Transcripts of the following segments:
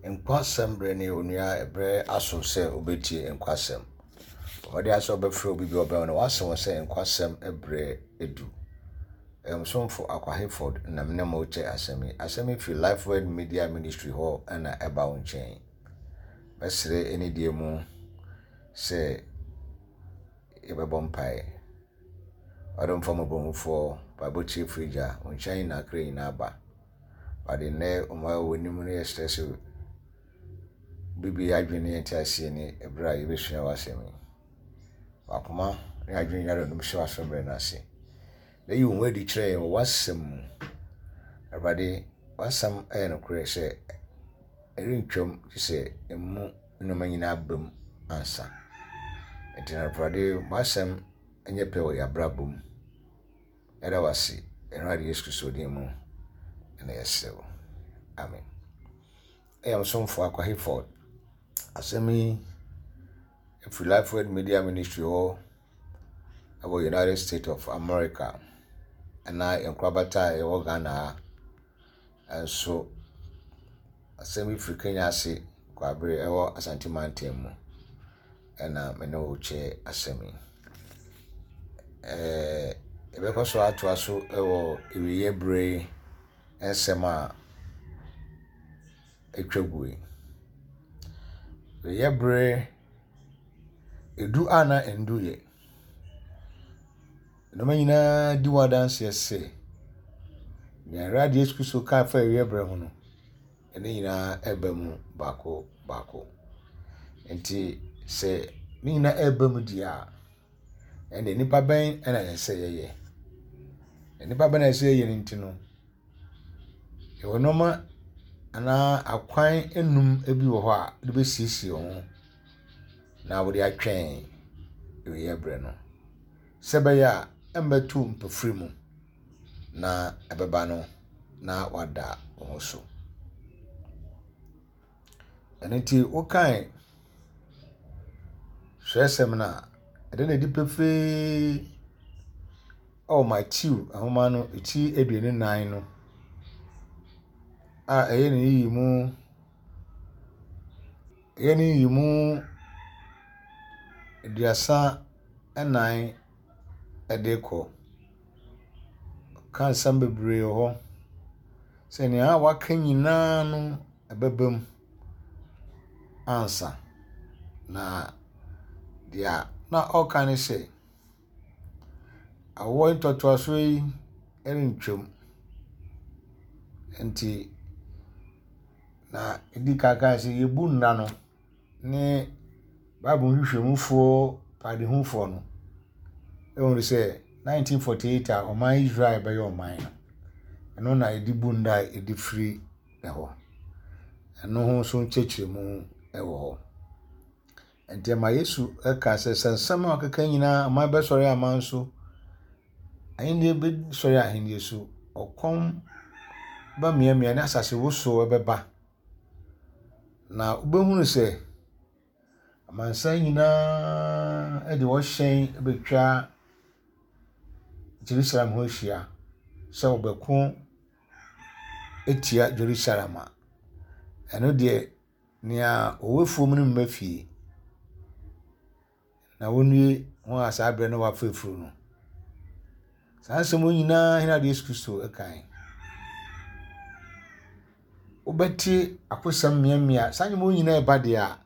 Nkwasɛm berɛ ne onua ɛberɛ aso sɛ wobɛtie nkwasɛm. Bɔ mmɔden ara sɛ wobɛfrɛ obi bi a ɔbɛn wo na woase wɔn sɛ nkwasɛm berɛ adu. Ɛyɛ mo somfo Akwa Hayford na me ne mo rekyɛ asɛm yi. Asɛm yi firi Lifeword Media Ministry hɔ na ɛba wo nkyɛn. Mɛsrɛ anidie mu sɛ yɛbɛbɔ mpaeɛ. Ɔdomfoɔ mmɔborɔhunufoɔ, mpaebɔ tiefoɔ Agya, wo nkyɛn na akra nyinaa ba. Awurade, nnɛ ɔma w'anim no yɛsrɛ sɛ wobɛbue yɛn adwene ne yɛn nteaseɛ ne ɛberɛ a yɛbɛsua w'asɛm yi. W'akoma ne adwene nyinaa dɔdom hyɛ w'asɛm berɛ no ase. Na yi wo ho adi kyerɛ yɛn wɔ w'asɛm mu. Awurade, w'asɛm yɛ nokorɛ sɛ ɛrentwam gye sɛ emu nneɛma nyinaa ba mu ansa. Enti na Awurade, w'asɛm nyɛ pɛ wɔ yɛn abrabɔ mu. Yɛda wo ase, yɛn Awurade Yesu Kristo din mu na yɛsrɛ wo. Amen. Ɛyɛ ɔsomfo Akwa Hayford. Asɛm yi ɛfiri Life Word Media Ministry hɔ ɛwɔ United States of America ɛna yɛn nkorabata a yɛwɔ Ghana ha. Nso asɛm yi firi Kenya ase Kwaabere ɛwɔ Asante Mantam mu ɛna me ne wo kyɛ asɛm yi. Ɛɛ yɛbɛkɔ so atoa so wɔ awieeɛ berɛ yi nsɛm a atwa gu yi. Awieeɛ berɛ, ɛdu a na ɛnduiɛ. Nneɛma nyinaa di ho adanseɛ sɛ, nea Awurade Yesu Kristo kaa faa awieeɛ berɛ ho no, ne nyinaa ɛreba mu baako baako. Nti sɛ ne nyinaa ɛreba mu deɛ a, ɛnde nnipa bɛn na ɛsɛ sɛ yɛyɛ? Nnipa bɛn na ɛsɛ sɛ yɛyɛ no nti no, yɛwɔ nneɛma anaa akwan nnum bi wɔ hɔ a wode bɛsiesie wo ho na wode atwɛn awieeɛ berɛ no. Sɛ ɛbɛyɛ a ɛmmɛto mpofiri mu na ɛbɛba no na wada wo ho so. Ɛno nti wokan twerɛsɛm no a, ɛda no adi pefee wɔ Mateo nwoma no ti 24 no a ɛyɛ ne nyiyimu ɛyɛ ne nyiyimu 34 de rekɔ. Ɔka nsɛm bebree wɔ hɔ sɛ nea waka nyinaa no ɛbɛba mu ansa. Na deɛ na ɔreka ne sɛ, awoɔ ntoatoasoɔ yi rentwam. Nti na ɛdi kan kae sɛ yɛbu nna no ne Bible nhwehwɛmufoɔ padehufoɔ no hunu sɛ 1948 a ɔman Israel bɛyɛ ɔman no, ɛno na yɛde bu nna a yɛde firi hɔ. Ɛno ho nso nkyerɛkyerɛmu wɔ hɔ. Nti ɛma Yesu ka sɛ, sɛ nsɛm a ɔkeka nyinaa aman bɛsɔre aman so, ahenni bɛsɔre ahenni so, ɔkɔm bɛmeamea ne asase wosow bɛba. Na wobɛhunu sɛ amansan nyinaa de wɔn hyɛn bɛtwa Jerusalem ho ahyia sɛ wɔbɛko atia Jerusalem a, ɛno deɛ nea ɔwɔ afuom no mma fie. Na wɔnnue wɔn a saa berɛ no wɔafa afuru no. Saa nsɛm yi nyinaa hena de Yesu Kristo kae. Wobɛte akosɛm mmeammea, saa nneɛma yi nyinaa ɛba deɛ a,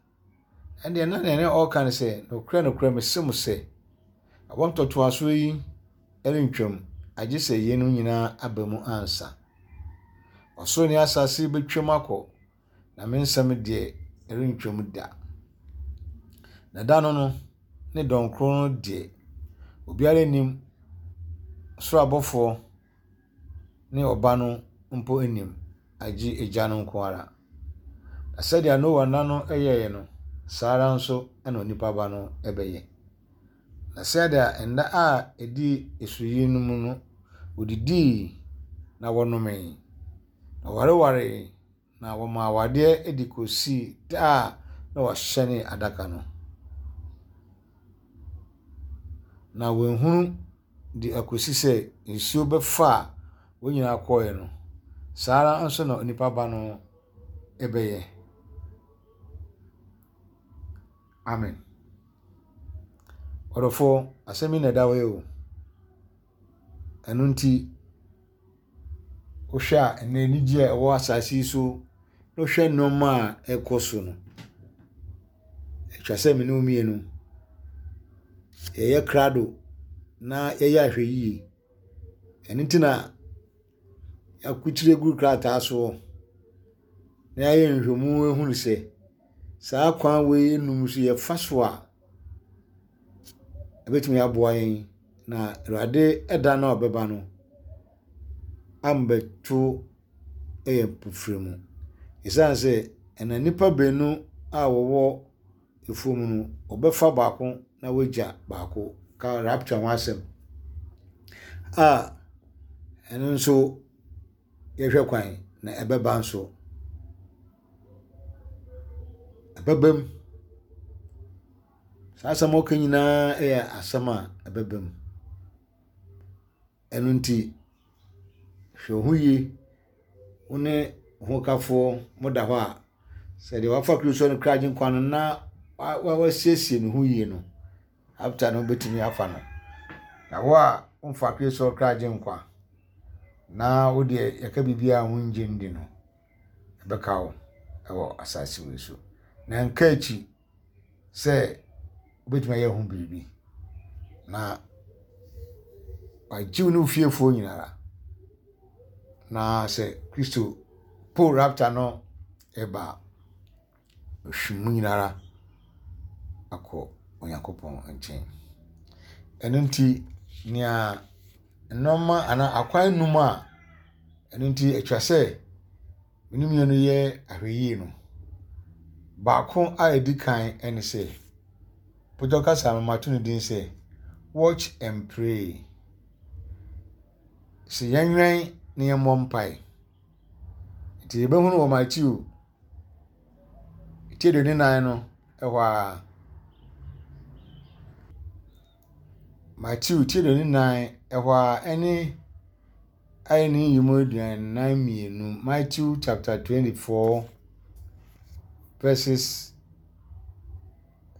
ɛndeɛ na nea ɔreka ne sɛ, nokorɛ nokorɛ mese mo sɛ, awoɔ ntoatoasoɔ yi rentwam, agye sɛ yeinom nyinaa aba mu ansa. Ɔsoro ne asase bɛtwam akɔ, na me nsɛm deɛ, ɛrentwam da. Na da no no, ne dɔn koro no deɛ, obiara nnim, ɔsoro abɔfoɔ ne Ɔba no mpo nnim, agye Agya no nko ara. Na sɛdeɛ Noa nna no yɛeɛ no, saa ara nso na Onipa Ba no bɛyɛ. Na sɛdeɛ nna a ɛdii nsuyire no mu no, wɔdidii na wɔnomee, na wɔwarewaree, Na wɔmaa awadeɛ de kɔsii da a na wɔahyɛne adaka no. Na wɔanhunu de akɔsi sɛ nsuo bɛfaa wɔn nyinaa kɔeɛ no, saa ara nso na Onipa Ba no bɛyɛ. Amen. Ɔdɔfoɔ, asɛm yi na ɛda hɔ yi o. Ɛno nti, wohwɛ a ɛnnɛ anigye a ɛwɔ asase yi so na wohwɛ nneɛma a ɛrekɔ so no, atwa sɛ me ne wo mmienu yɛyɛ krado na yɛyɛ ahwɛyie. Ɛno nti na yɛakurukyire agu krataa soɔ na yɛayɛ nhwehwɛmu ahunu sɛ saa kwan wei nnum so yɛfa so a, ɛbɛtumi aboa yɛn na Awurade da no a ɔbɛba no ambɛto yɛn mpofire mu. Ɛsiane sɛ ɛnam nnipa baanu a wɔwɔ afuom no, wɔbɛfa baako na wɔagya baako ka rapture ho asɛm a ɛno nso yɛhwɛ kwan na ɛbɛba nso. Ɛbɛba mu. Saa asɛm a wɔka nyinaa yɛ asɛm a ɛbɛba mu. Ɛno nti, hwɛ wo ho yie. Wo ne wo hokafoɔ moda hɔ a, sɛ deɛ wafa Kristo no kra agyenkwa no na wasiesie ne ho yie no, after no wobɛtumi afa no. Na wo a womfa Kristo kra agyenkwa na wo deɛ yɛka biribiara a wongye ndi no, ɛbɛka wo wɔ asase wei so. Na nka akyi sɛ wobɛtumi ayɛ ho biribi na wagye wo ne wo fiefoɔ nyinara na sɛ Kristo po rapture no ɛba a ɔhwim mu nyinara akɔ Onyankopɔn nkyɛn. Ɛno nti nea nneɛma anaa akwan num a ɛno nti atwa sɛ Me ne mmienu yɛ ahwɛyie no, baako a ɛdi kan ne sɛ, Pɔtɔ kasa no mato no din sɛ watch and pray. Sɛ yɛnwɛn na yɛmmɔ mpae. Nti yɛbɛhunu wɔ Matthew ti 24 no ɛhɔ ara. Matthew ti 24 ɛhɔ ara ɛne Ayɛ ne nyiyimu 42, Matthew chapter 24 verses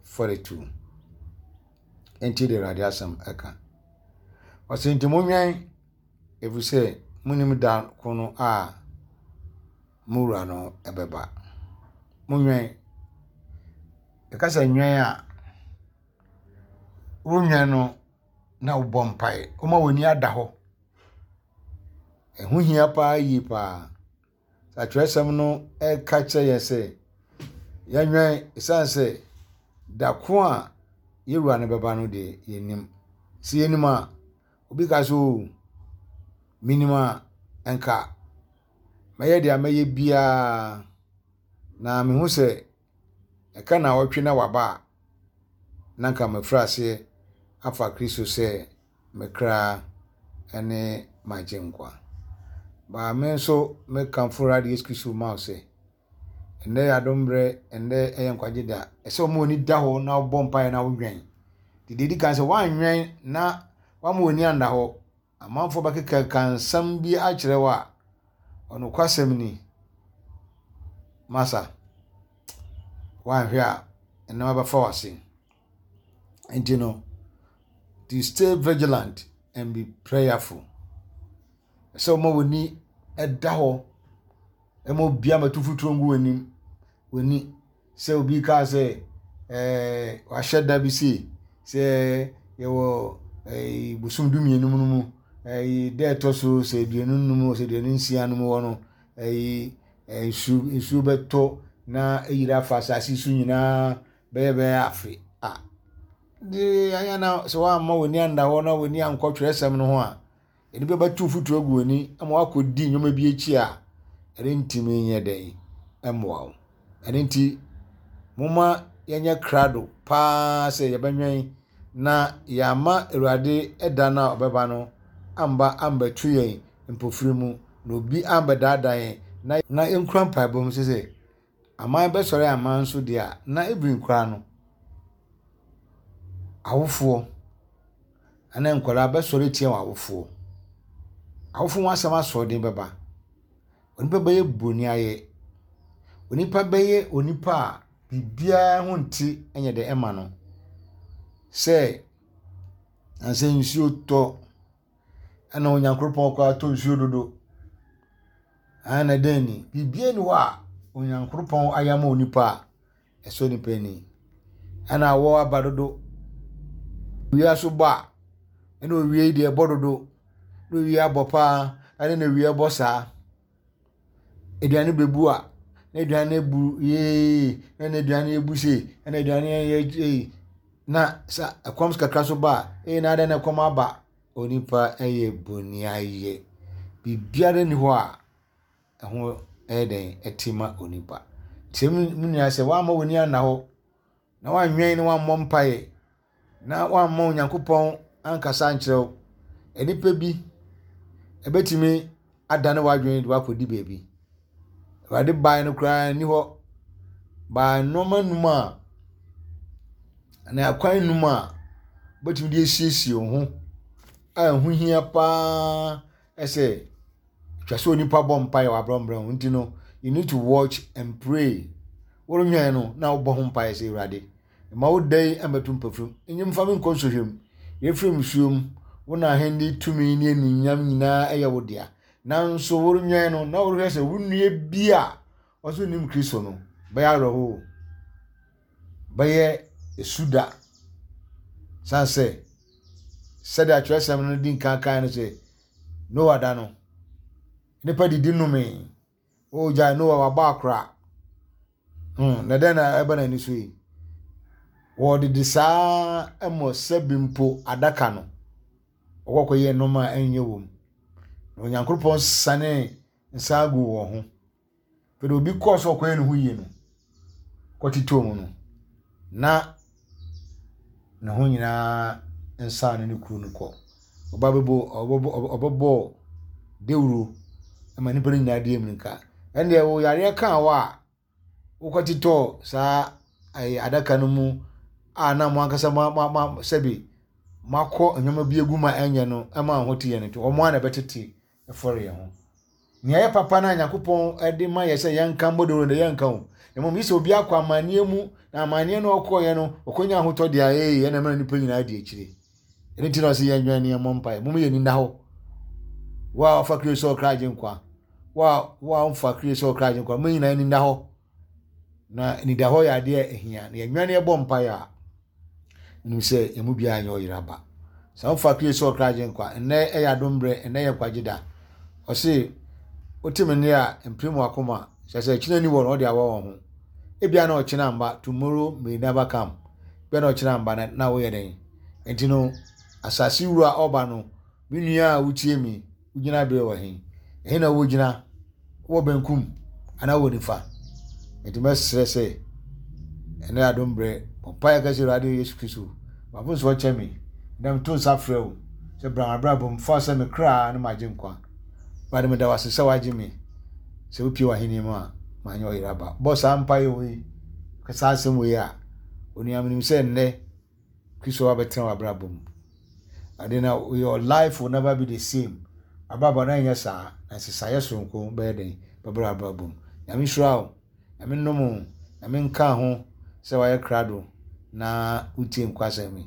42. Enti de Awurade asɛm ɛka. Ɔsɛ nti monwɛn efisɛ monim da ko no a mo wura no ɛbɛba. Monwɛn. Ɛka sɛ nwɛn a, wonwɛn no na wobɔ mpae. Woma w'ani ada hɔ. Ɛho hia paa yie paa. Atwerɛsɛm no ɛka kyerɛ yɛn sɛ yɛnwɛn ɛsiane sɛ da ko a yɛn wura no bɛba no deɛ yɛnnim. Sɛ yɛnim a, obi ka sɛ oo menim a nka mɛyɛ deɛ mɛyɛ biara na mehu sɛ ɛka naawɔtwe na waba a, na anka mafiri aseɛ afa Kristo sɛ me kra ne m'agyenkwa. Baa me nso mekamfo Awurade Yesu Kristo ma wo sɛ, ɛnnɛ yɛ adom berɛ, ɛnnɛ ɛyɛ nkwagye da. Ɛsɛ wɔn ani da hɔ na wobɔ mpaeɛ na wodwɛn. Deɛ ɛdi kan sɛ woanwɛn na woama w'ani anna hɔ Amanfoɔ bɛkekaka nsɛm bi akyerɛ wo a, ɔnokwasɛm ni, masa, woanhwɛ a, nneɛma bɛfa w'ase. Nti no, to stay vigilant and be prayerful. Ɛsɛ woma w'ani da hɔ, ɛma obiara mmɛto mfuturo ngu w'anim, w'ani. Sɛ obi kaa sɛ ɛɛ wahyɛ da bi sei sɛ yɛwɔ ɛɛ bosom dumienu no mu ɛɛ da ɛtɔ so sɛ 25 sɛ 26 no mu hɔ no ɛyi nsu nsuo bɛtɔ na ayiri afa asase so nyinaa bɛyɛ bɛyɛ afe a de ayɛ na sɛ woamma w'ani anda hɔ na w'ani ankɔ twerɛsɛm no ho a Nnipa bɛto mfuturo agu w'ani ama woakɔdi nneɛma bi akyi a ɛrentumi nyɛ dɛn mmoa wo. Ɛno nti, momma yɛnyɛ krado paa sɛ yɛbɛnwɛn na yɛama Awurade da no a ɔbɛba no amba ambɛto yɛn mpofiri mu, na obi ambɛdaadaa yɛn, na na yɛnkura mpaebɔ mu sɛ sɛ aman bɛsɔre aman so deɛ a, na even koraa no, awofoɔ ne nkwadaa bɛsɔre atia wɔn awofoɔ. Awofoɔ ho asɛm asoɔden bɛba. Onipa bɛyɛ bonniayɛ. Onipa bɛyɛ onipa a. Biribiara ho nte nyɛ dɛ ɛma no. Sɛ na sɛ nsuo tɔ ɛna Onyankopɔn koraa tɔ nsuo dodo. Ɛna dɛn ni? Biribiara nni hɔ a Onyankopɔn ayɛ ama onipa a ɛsɔ nipa ani. Ɛna awɔ aba dodo. Owia so bɔ a, ɛna owia yi deɛ ɛbɔ dodo. Na owia abɔ paa, ɛne na owia bɔ saa. Aduane bɛbu a, na aduane abu yee, na aduane abu sei, ɛna aduane ayɛ ei. Na sa ɛkɔm kakra so ba a, ei na adɛn na ɛkɔm aba. Onipa yɛ boniayɛ. Biribiara nni hɔ a ɛho yɛ dɛn ɛte ma onipa. Nti me nua sɛ woamma w'ani anna hɔ na woanwɛn na woammɔ mpaeɛ na woamma Onyankopɔn ankasa ankyerɛ wo, nnipa bi ɛbɛtumi adane w'adwene de woakɔdi baabi. Awurade baeɛ no koraa nni hɔ. Baa nneɛma num a anaa akwan num a wobɛtumi de asiesie wo ho a ɛho hia paa sɛ Ɛtwa sɛ onipa bɔ mpaeɛ wɔ abrɛ ho nti no, you need to watch and pray. Worenwɛn no na wobɔ ho mpaeɛ sɛ Awurade, mma wo da yi mmɛto mpafirim, nye mfa me nkɔ nsɔhwɛ mu, yɛfiri mmusuo mu, wo na ahenni tumi ne anuonyam nyinaa ɛyɛ wo dea. Nanso worenwɛn no na worehwɛ sɛ wo nua bi a ɔso nnim Kristo no bɛyɛ awerɛhoɔ, bɛyɛ esu da. San sɛ sɛdeɛ atwerɛsɛm no di nkan kan no sɛ Noa da no, nnipa didi nomee. O gyae Noa wabɔ akora. Na dɛn na ɛba n'ani so yi? Wɔdede saa mmɔ sɛbi mpo adaka no. Wɔkɔkɔyɛ nneɛma a ɛnyɛ wɔ mu. Na Onyankopɔn sanee nsa guu wɔn ho. Afei de obi kɔɔ sɛ ɔkɔyɛ ne ho yie no, kɔtetɔɔ mu no, na ne ho nyinaa nsa ne ne kuru no kɔ. Ɔba bɛbɔ ɔbɛbɔ ɔbɛbɔɔ dawuro ma nnipa no nyinaa di mmirika. Ɛnneɛ wo yareɛ kaa wo a, wokɔtetɔɔ saa ɛyɛ adaka no mu a na mo ankasa mo mo mo sɛbi moakɔ nneɛma bi agu mu a ɛnyɛ no ɛma wo ho te yɛ no nti wɔn ara na ɛbɛtete fɔre yɛn ho. Nea ɛyɛ papa no a Nyankopɔn de ma yɛ sɛ yɛnka mmɔ dawuro no yɛnka o. Na mmom gye sɛ obi akɔ amanneɛ mu na amanneɛ no ɔkɔɔyɛ no ɔkɔnya ahotɔ deɛ a ee ɛna ɛma nnipa nyinaa di akyire. Ɛno nti na ɔsɛ yɛnwɛn ne yɛmmɔ mpaeɛ. Mom yɛn ani nna hɔ. Wo a wafa Kristo sɛ ɔkra agye nkwa, wo a wo a womfa Kristo sɛ ɔkra agye nkwa, mo nyinaa ani nna hɔ. Na anidahɔ yɛ adeɛ a ɛhia. Na yɛnwɛn ne yɛbɔ mpaeɛ a Menim sɛ yɛn mu biara nyɛ ɔyera ba. Sɛ wofa Kristo sɛ ɔkra agyenkwa, nnɛ yɛ adom berɛ, nnɛ yɛ nkwagye da. Ɔse, wote me nne a, mpirim w'akoma. Kyerɛ sɛ, kyena ni wɔ no, ɔde awa wɔn ho. Ebia na ɔkyena mba, tomorrow may never come. Ebia na ɔkyena mba na, na woyɛ dɛn? Enti no, asase wura ɔba no, me nua a wotie me, Wo gyinabea wɔ he? Ɛhe na wogyina? Wowɔ benkum anaa wowɔ nifa? Enti mɛsrɛ sɛ ɛnɛ adom berɛ bɔ mpaeɛ ka sɛ Awurade Yesu Kristo m'afomsoɔ kyɛ me na meto nsa frɛ wo sɛ bra m'abrabɔ mu fa sɛ me kra ne m'agye nkwa. Awurade meda wo ase sɛ woagye me sɛ wopie w'ahenni mu a manyɛ ɔyera ba. Bɔ saa mpaeɛ wei ka saa asɛm wei a onua menim sɛ nnɛ Kristo abɛtena w'abrabɔ mu. Ade na your life will never be the same. Abrabɔ no ɛnyɛ saa. Na nsesaeɛ soronko bɛyɛ den bɛbrɛ w'abrabɔ mu. Nyame nhyira wo. Nyame nnom wo. Nyame nka ho sɛ wayɛ krado na wotie nkwasɛm yi.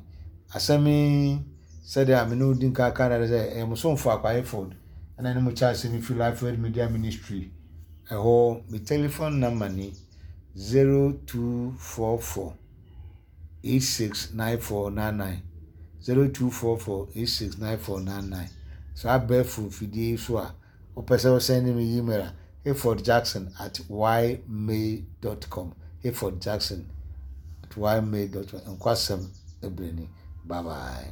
Asɛm yi sɛdeɛ a me ne wo di nka ka dada sɛ ɛyɛ mo somfo Akwa Hayford ɛna ne mo kyɛ asɛm yi firi Life Word Media Ministry ɛhɔ. Me telephone number ni 0244 869499 0244 869499 Saa abɛɛfo mfidie yi so a wopɛ sɛ wo sɛnde me email a hayfordjackson at ymail dot com hayfordjackson at ymail dot com Nkwasɛm ɛbrɛ ni bye bye.